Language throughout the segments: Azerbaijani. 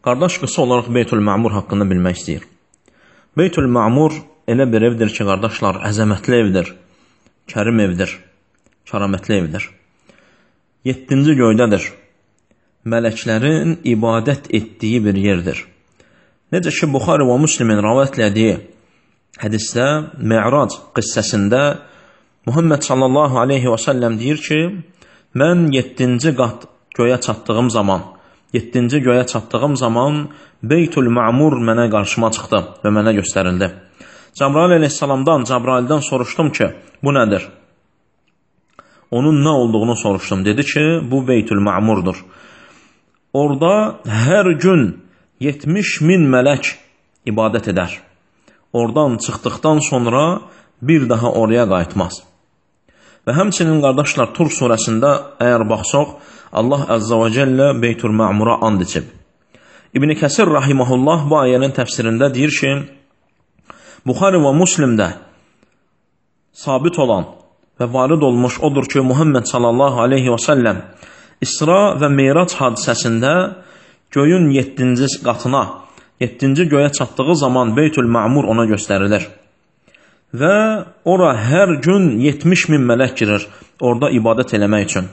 Qardaş qısa olaraq Beytül-Ma'mur haqqında bilmək istəyir. Beytül-Ma'mur elə bir evdir ki, qardaşlar, əzəmətli evdir, kərim evdir, kəramətli evdir. 7-ci göydədir. Mələklərin ibadət etdiyi bir yerdir. Necə ki, Buxari və Müslimin rəvayət etdiyi hədisdə, Mi'rac qissəsində Muhammed sallallahu aleyhi və səlləm deyir ki, mən 7-ci qat göyə çatdığım zaman Beytül-Ma'mur mənə qarşıma çıxdı və mənə göstərildi. Cəbrail əleyhissalamdan soruşdum ki, bu nədir? Onun nə olduğunu soruşdum. Dedi ki, bu Beytül-Ma'murdur. Orada hər gün 70.000 mələk ibadət edər. Oradan çıxdıqdan sonra bir daha oraya qayıtmaz. Və həmçinin qardaşlar, Tur surəsində əgər baxsaq, Allah Əzzə və Cəllə Beytül-Ma'mura and içib. İbn Kəsir rahiməhullah bu ayənin təfsirində deyir ki, Buxari və Müslimdə sabit olan və varid olmuş odur ki, Muhammed sallallahu aleyhi və səlləm İsra və Meyrac hadisəsində göyün 7-ci qatına, 7-ci göyə çatdığı zaman Beytül-Ma'mur ona göstərilir. Və ora hər gün 70.000 mələk girir orada ibadət eləmək üçün.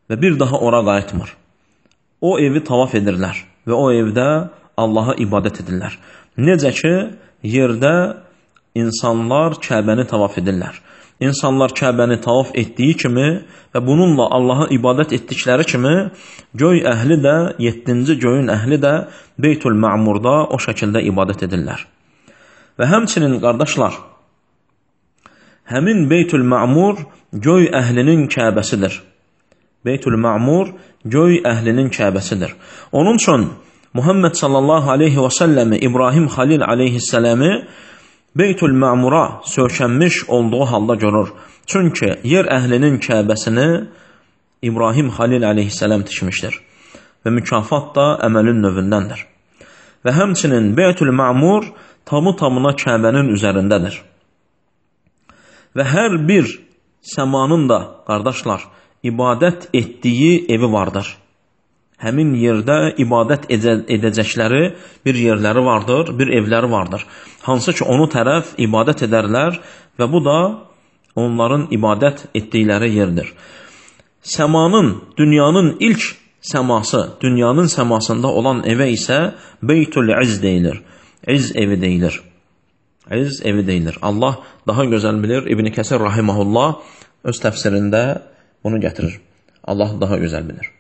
Və bir daha ora qayıtmır. O evi tavaf edirlər və o evdə Allaha ibadət edirlər. Necə ki, yerdə insanlar Kəbəni tavaf edirlər. İnsanlar Kəbəni tavaf etdiyi kimi və bununla Allaha ibadət etdikləri kimi, göy əhli də, 7-ci göyün əhli də Beytül-Ma'murda o şəkildə ibadət edirlər. Və həmçinin qardaşlar, həmin Beytül-Ma'mur göy əhlinin Kəbəsidir. Beytül-Ma'mur göy əhlinin Kəbəsidir. Onun üçün Muhammed sallallahu aleyhi və səlləmi İbrahim Xalil aleyhissələmi Beytül-Ma'mura sökənmiş olduğu halda görür. Çünki yer əhlinin Kəbəsini İbrahim Xalil aleyhissələm tikmişdir. Və mükafat da əməlin növündəndir. Və həmçinin Beytül-Ma'mur tamı-tamına Kəbənin üzərindədir. Və hər bir səmanın da, qardaşlar, ibadət etdiyi evi vardır. Həmin yerdə ibadət edəcəkləri bir yerləri vardır, bir evləri vardır. Hansı ki, onu tərəf ibadət edərlər və bu da onların ibadət etdikləri yerdir. Səmanın, dünyanın ilk səması, dünyanın səmasında olan evə isə Beytül-İz deyilir. İz evi deyilir. İz evi deyilir. Allah daha gözəl bilir. İbn Kəsir rahiməhullah öz təfsirində bunu gətirir. Allah daha gözəl bilir.